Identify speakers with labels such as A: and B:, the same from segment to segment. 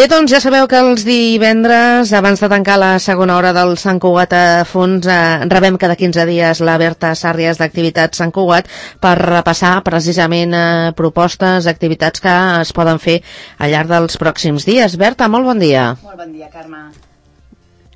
A: Bé, doncs ja sabeu que els divendres, abans de tancar la segona hora del Sant Cugat a fons, rebem cada 15 dies la Berta Sàrries d'Activitats Sant Cugat per repassar precisament propostes, activitats que es poden fer al llarg dels pròxims dies. Berta, molt bon dia.
B: Molt bon dia, Carme.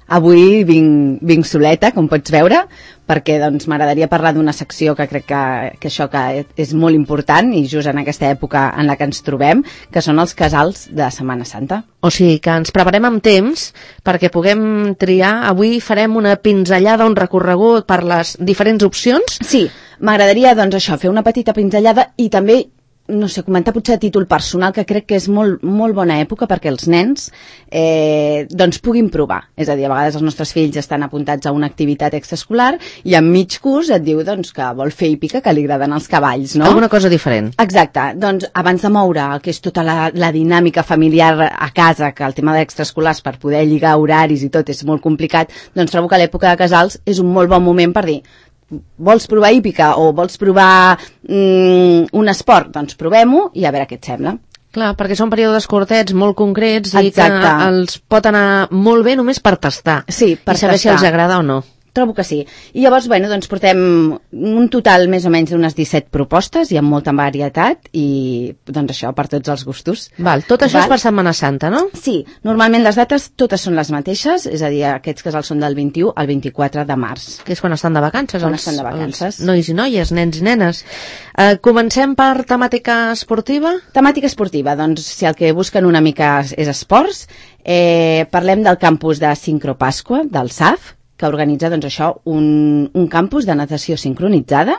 B: Avui vinc soleta, com pots veure, perquè doncs, m'agradaria parlar d'una secció que crec que això que és molt important i just en aquesta època en la que ens trobem, que són els casals de Setmana Santa.
A: O sigui que ens preparem amb temps perquè puguem triar. Avui farem una pinzellada, un recorregut per les diferents opcions.
B: Sí, m'agradaria doncs això, fer una petita pinzellada i també no sé, comentar potser a títol personal que crec que és molt bona època perquè els nens doncs puguin provar. És a dir, a vegades els nostres fills estan apuntats a una activitat extraescolar i en mig curs et diu doncs, que vol fer hípica, que li agraden els cavalls, no?
A: Alguna cosa diferent.
B: Exacte. Doncs abans de moure el que és tota la dinàmica familiar a casa, que el tema d'extraescolars per poder lligar horaris i tot és molt complicat, doncs trobo que l'època de casals és un molt bon moment per dir vols provar hípica o vols provar un esport? Doncs provem-ho i a veure què et sembla.
A: Clar, perquè són períodes curtets, molt concrets.
B: Exacte.
A: I que els pot anar molt bé només per tastar.
B: Sí, per
A: i saber
B: tastar.
A: Si els agrada o no.
B: Trobo que sí. I llavors, bueno, doncs portem un total més o menys d'unes 17 propostes i amb molta varietat i doncs això, per tots els gustos.
A: Val, tot això és per Setmana Santa, no?
B: Sí, normalment les dates totes són les mateixes, és a dir, aquests casals són del 21 al 24 de març.
A: Que és quan estan de vacances.
B: Quan estan de vacances.
A: Nois i noies, nens i nenes. Comencem per temàtica esportiva?
B: Temàtica esportiva, doncs si el que busquen una mica és esports, parlem del campus de Sincro Pasqua, del SAF, que organitza doncs, això, un campus de natació sincronitzada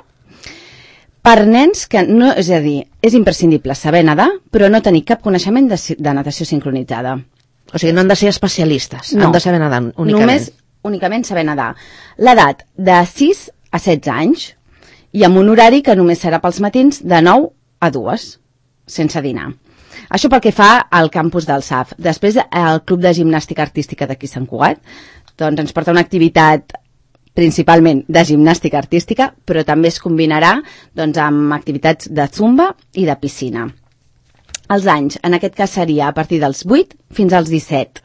B: per nens que no, és a dir, és imprescindible saber nedar, però no tenir cap coneixement de natació sincronitzada.
A: O sigui, no han de ser especialistes,
B: no.
A: Han de saber nedar únicament.
B: Només únicament saber nedar. L'edat de 6 a 16 anys i amb un horari que només serà pels matins de 9 a 2, sense dinar. Això pel que fa al campus del SAF. Després, el Club de Gimnàstica Artística d'aquí Sant Cugat doncs ens porta una activitat principalment de gimnàstica artística, però també es combinarà doncs, amb activitats de zumba i de piscina. Els anys, en aquest cas seria a partir dels 8 fins als 17.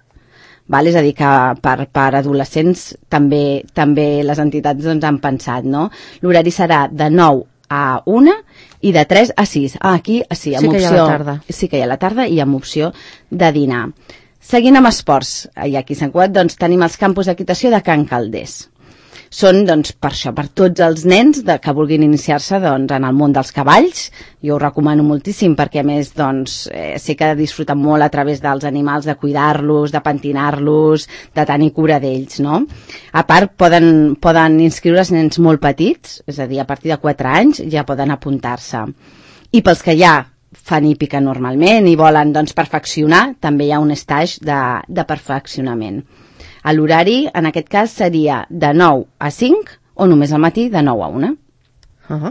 B: Val? És a dir, que per adolescents també les entitats doncs, han pensat, no? L'horari serà de 9 a 1 i de 3 a 6. Aquí sí, amb opció,
A: hi ha la tarda.
B: Sí que hi ha la tarda i amb opció de dinar. Seguint amb esports, i aquí a Sant Cugat doncs, tenim els campus d'equitació de Can Calders. Són, doncs, per això, per tots els nens que vulguin iniciar-se doncs, en el món dels cavalls. Jo ho recomano moltíssim perquè, a més, doncs, sé que disfruten molt a través dels animals, de cuidar-los, de pentinar-los, de tenir cura d'ells, no? A part, poden inscriure's nens molt petits, és a dir, a partir de 4 anys ja poden apuntar-se. I pels que ja fan hípica normalment i volen doncs, perfeccionar, també hi ha un stage de perfeccionament. L'horari, en aquest cas, seria de 9 a 5 o només al matí de 9 a 1.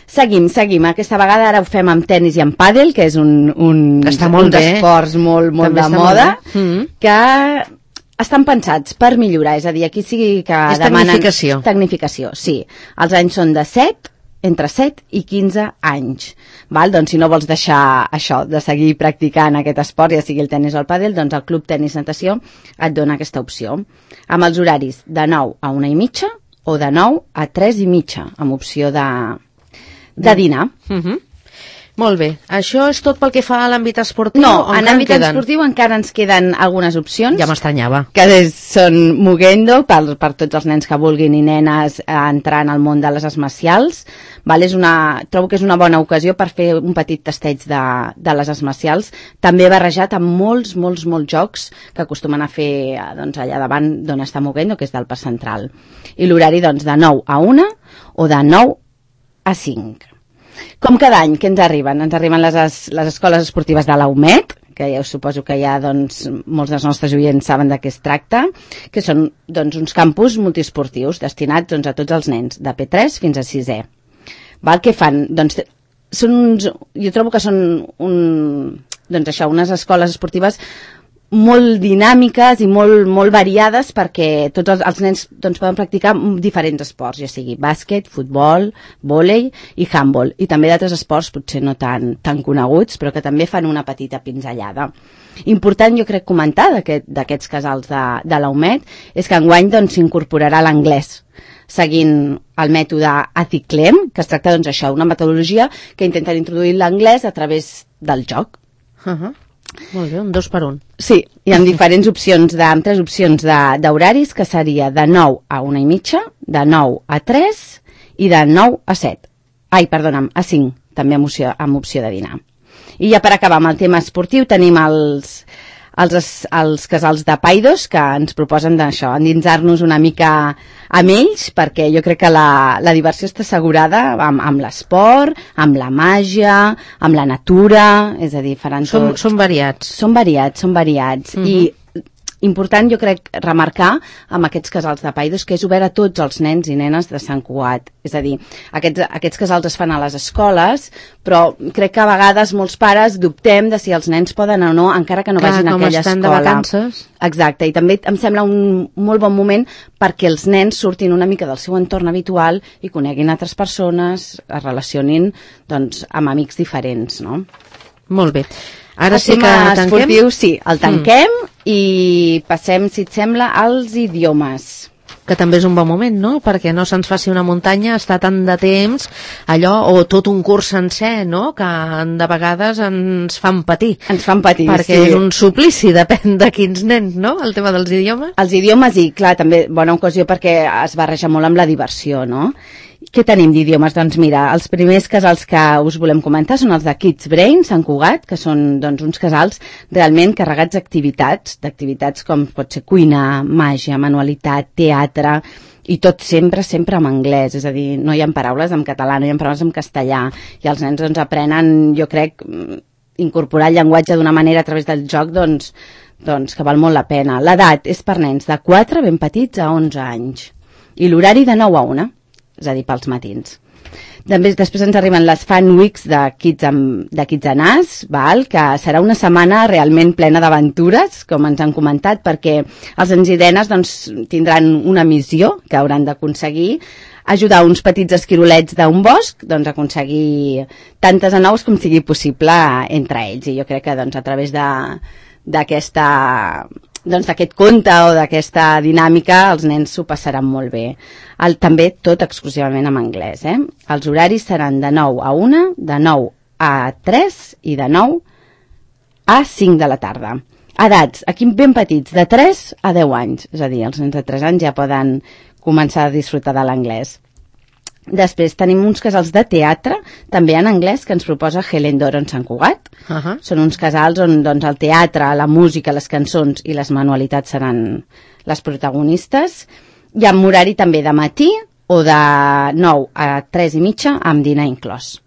B: Seguim. Aquesta vegada ara ho fem amb tenis i amb pàdel, que és un esports molt de moda, que estan pensats per millorar, és a dir, aquí sí que demanen... Tecnificació, sí. Els anys són de 7, entre 7 i 15 anys. Val? Doncs si no vols deixar això, de seguir practicant aquest esport, ja sigui el tenis o el pàdel, doncs el Club Tenis Natació et dona aquesta opció. Amb els horaris de 9 a 1 i mitja o de 9 a 3 i mitja, amb opció de dinar.
A: Molt bé. Això és tot pel que fa a l'àmbit esportiu?
B: No, en l'àmbit esportiu encara ens queden algunes opcions.
A: Ja m'estranyava.
B: Que són Muguendo, per tots els nens que vulguin i nenes entrar en el món de les arts marcials. Trobo que és una bona ocasió per fer un petit tasteig de les arts marcials, també barrejat amb molts jocs que acostumen a fer doncs, allà davant d'on està Muguendo, que és del Parc Central. I l'horari doncs, de 9 a 1 o de 9 a 5. Com cada any, què ens arriben? Ens arriben les escoles esportives de la UMED, que ja suposo que ja doncs, molts dels nostres oients saben de què es tracta, que són doncs, uns campus multiesportius destinats doncs, a tots els nens, de P3 fins a 6è. Què fan? Doncs, jo trobo que són unes escoles esportives molt dinàmiques i molt variades, perquè tots els nens doncs, poden practicar diferents esports, ja sigui bàsquet, futbol, vòlei i handball, i també d'altres esports potser no tan coneguts, però que també fan una petita pinzellada. Important, jo crec, comentar d'aquests casals de la UMED és que enguany doncs, s'incorporarà l'anglès, seguint el mètode ATICLEM, que es tracta doncs, això, una metodologia que intenta introduir l'anglès a través del joc.
A: Molt bé, un 2 per 1.
B: Sí, hi ha diferents opcions, tres opcions d'horaris, que seria de 9 a 1:30, de 9 a 3 i de 9 a 7. Ai, perdona'm, a 5, també amb opció de dinar. I ja per acabar amb el tema esportiu tenim els casals de Paidos, que ens proposen d'això, endinsar-nos una mica amb ells, perquè jo crec que la diversió està assegurada amb l'esport, amb la màgia, amb la natura, és a dir, faran tot...
A: Són variats.
B: Són variats. I important, jo crec, remarcar amb aquests casals de Paidos que és obert a tots els nens i nenes de Sant Cugat. És a dir, aquests casals es fan a les escoles, però crec que a vegades molts pares dubtem de si els nens poden o no, encara que no vagin a aquella escola.
A: De vacances.
B: Exacte, i també em sembla un molt bon moment perquè els nens surtin una mica del seu entorn habitual i coneguin altres persones, es relacionin doncs, amb amics diferents, no?
A: Molt bé. Ara sí que tanquem?
B: Esportiu, sí, el tanquem i passem, si et sembla, als idiomes.
A: Que també és un bon moment, no? Perquè no se'ns faci una muntanya, està tant de temps, allò, o tot un curs sencer, no? Que de vegades ens fan patir.
B: Ens fan patir,
A: perquè és un suplici, depèn de quins nens, no? El tema dels idiomes.
B: Els idiomes, i clar, també bona ocasió perquè es barreja molt amb la diversió, no? Què tenim d'idiomes? Doncs mira, els primers casals que us volem comentar són els de Kids Brain, Sant Cugat, que són doncs, uns casals realment carregats d'activitats com pot ser cuina, màgia, manualitat, teatre, i tot sempre en anglès, és a dir, no hi ha paraules en català, no hi ha paraules en castellà, i els nens doncs, aprenen, jo crec, incorporar el llenguatge d'una manera a través del joc, doncs que val molt la pena. L'edat és per nens de 4, ben petits, a 11 anys, i l'horari de 9 a 1, és a dir, pels matins. Després ens arriben les Fan Weeks de Kids and Us, que serà una setmana realment plena d'aventures, com ens han comentat, perquè els nens i nenes doncs, tindran una missió que hauran d'aconseguir ajudar uns petits esquirolets d'un bosc doncs, a aconseguir tantes anous com sigui possible entre ells. I jo crec que doncs, a través d'aquest conte o d'aquesta dinàmica els nens s'ho passaran molt bé. També tot exclusivament en anglès. Els horaris seran de 9 a 1, de 9 a 3 i de 9 a 5 de la tarda. Edats, aquí ben petits, de 3 a 10 anys. És a dir, els nens de 3 anys ja poden començar a disfrutar de l'anglès. Després tenim uns casals de teatre, també en anglès, que ens proposa Helen Doron Sant Cugat. Són uns casals on doncs, el teatre, la música, les cançons i les manualitats seran les protagonistes. I amb horari també de matí o de 9 a 3:30 amb dinar inclòs.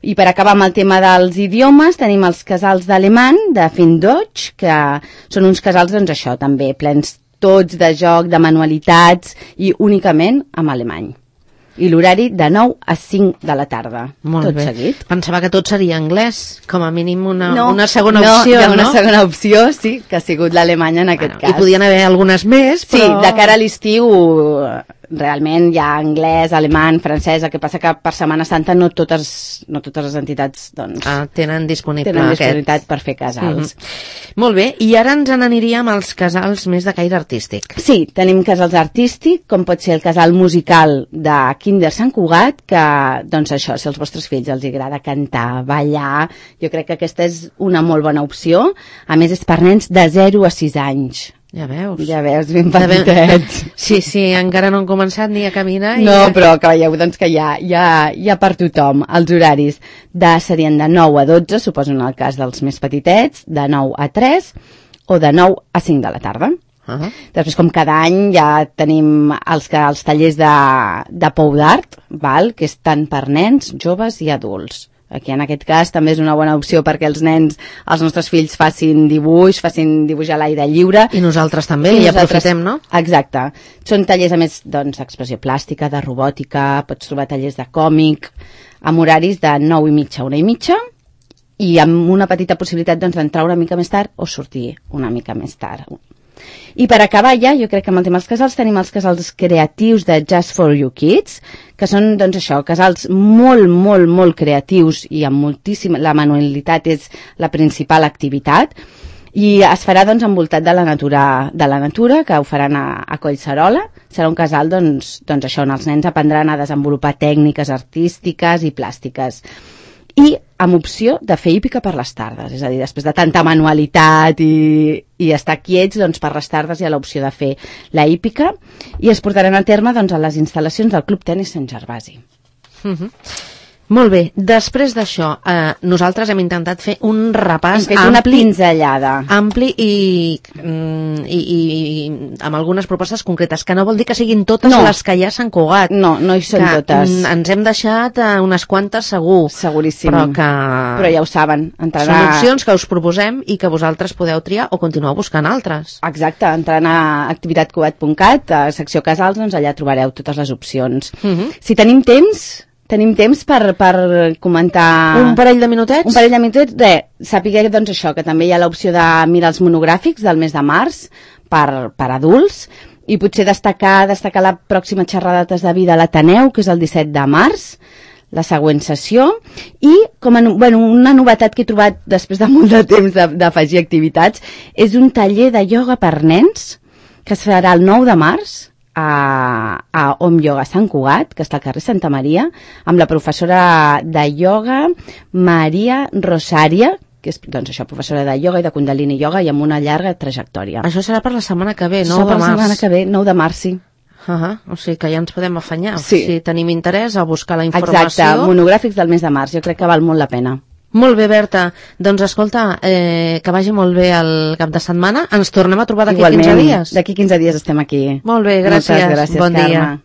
B: I per acabar amb el tema dels idiomes, tenim els casals d'alemany, de Findeutsch, que són uns casals, doncs això, també plens tots de joc, de manualitats i únicament amb alemany. I l'horari de 9 a 5 de la tarda.
A: Molt bé.
B: Seguit.
A: Pensava que tot seria anglès, com a mínim una segona opció,
B: no? Hi ha
A: una
B: segona opció, sí, que ha sigut l'alemany en aquest cas.
A: I podien haver algunes més, però...
B: Sí, de cara a l'estiu realment hi ha anglès, alemany, francès, el que passa que per Setmana Santa no totes les entitats doncs,
A: tenen disponibilitat
B: per fer casals.
A: Molt bé, i ara ens n'aniríem als casals més de caire artístic.
B: Sí, tenim casals artístics, com pot ser el casal musical de Kinder Sant Cugat, que, doncs això, si als vostres fills els agrada cantar, ballar, jo crec que aquesta és una molt bona opció. A més, és per nens de 0 a 6 anys.
A: Ja veus,
B: ben petitets.
A: Sí, encara no han començat ni a caminar.
B: No, però que veieu doncs, que hi ha per tothom. Els horaris serien de 9 a 12, suposo en el cas dels més petitets, de 9 a 3 o de 9 a 5 de la tarda. Després, com cada any, ja tenim els tallers de pou d'art, que és tant per nens, joves i adults. Aquí en aquest cas també és una bona opció perquè els nostres fills facin dibuix a l'aire lliure.
A: I nosaltres també, i aprofitem, no?
B: Exacte. Són tallers, a més, d'expressió plàstica, de robòtica, pots trobar tallers de còmic, amb horaris de 9:30 a 1:30 i amb una petita possibilitat doncs, d'entrar una mica més tard o sortir una mica més tard. I per acabar ja, jo crec que amb el tema dels casals tenim els casals creatius de Just for You Kids, que són, doncs això, casals molt, molt, molt creatius i amb moltíssima... La manualitat és la principal activitat i es farà, doncs, envoltat de la natura, que ho faran a Collserola. Serà un casal, doncs això, on els nens aprendran a desenvolupar tècniques artístiques i plàstiques. I amb opció de fer hípica per les tardes, és a dir, després de tanta manualitat i estar quiets, doncs per les tardes hi ha l'opció de fer la hípica i es portaran a terme doncs, a les instal·lacions del Club Tenis Sant Gervasi.
A: Molt bé, després d'això, nosaltres hem intentat fer un repàs
B: ampli, una pinzellada.
A: Ampli i amb algunes propostes concretes, que no vol dir que siguin totes les que hi ha a Sant Cugat.
B: No hi són totes.
A: Ens hem deixat unes quantes segur.
B: Seguríssim.
A: Però
B: ja ho saben.
A: Són opcions que us proposem i que vosaltres podeu triar o continuar buscant altres.
B: Exacte, entrant a activitatcugat.cat, a secció casals, doncs allà trobareu totes les opcions. Si tenim temps per comentar...
A: Un parell de minutets?
B: Un parell de minutets, sapigueu doncs això, que també hi ha l'opció de mirar els monogràfics del mes de març per adults i potser destacar la pròxima xerrada de vida a l'Ateneu, que és el 17 de març, la següent sessió, i una novetat que he trobat després de molt de temps d'afegir activitats és un taller de ioga per nens que es farà el 9 de març a Om Yoga Sant Cugat, que està al carrer Santa Maria, amb la professora de ioga Maria Rosària, que és, doncs això, professora de ioga i de Kundalini Yoga i amb una llarga trajectòria.
A: Això serà per la setmana que ve, 9 de març.
B: Serà per la setmana que ve, 9 de març, sí.
A: O sigui que ja ens podem afanyar.
B: Sí.
A: Si tenim interès a buscar la informació.
B: Exacte, monogràfics del mes de març, jo crec que val molt la pena.
A: Molt bé, Berta. Doncs escolta, que vagi molt bé el cap de setmana. Ens tornem a trobar d'aquí 15 dies.
B: D'aquí 15 dies estem aquí.
A: Molt bé, gràcies.
B: Moltes gràcies,
A: bon
B: Carme.
A: dia.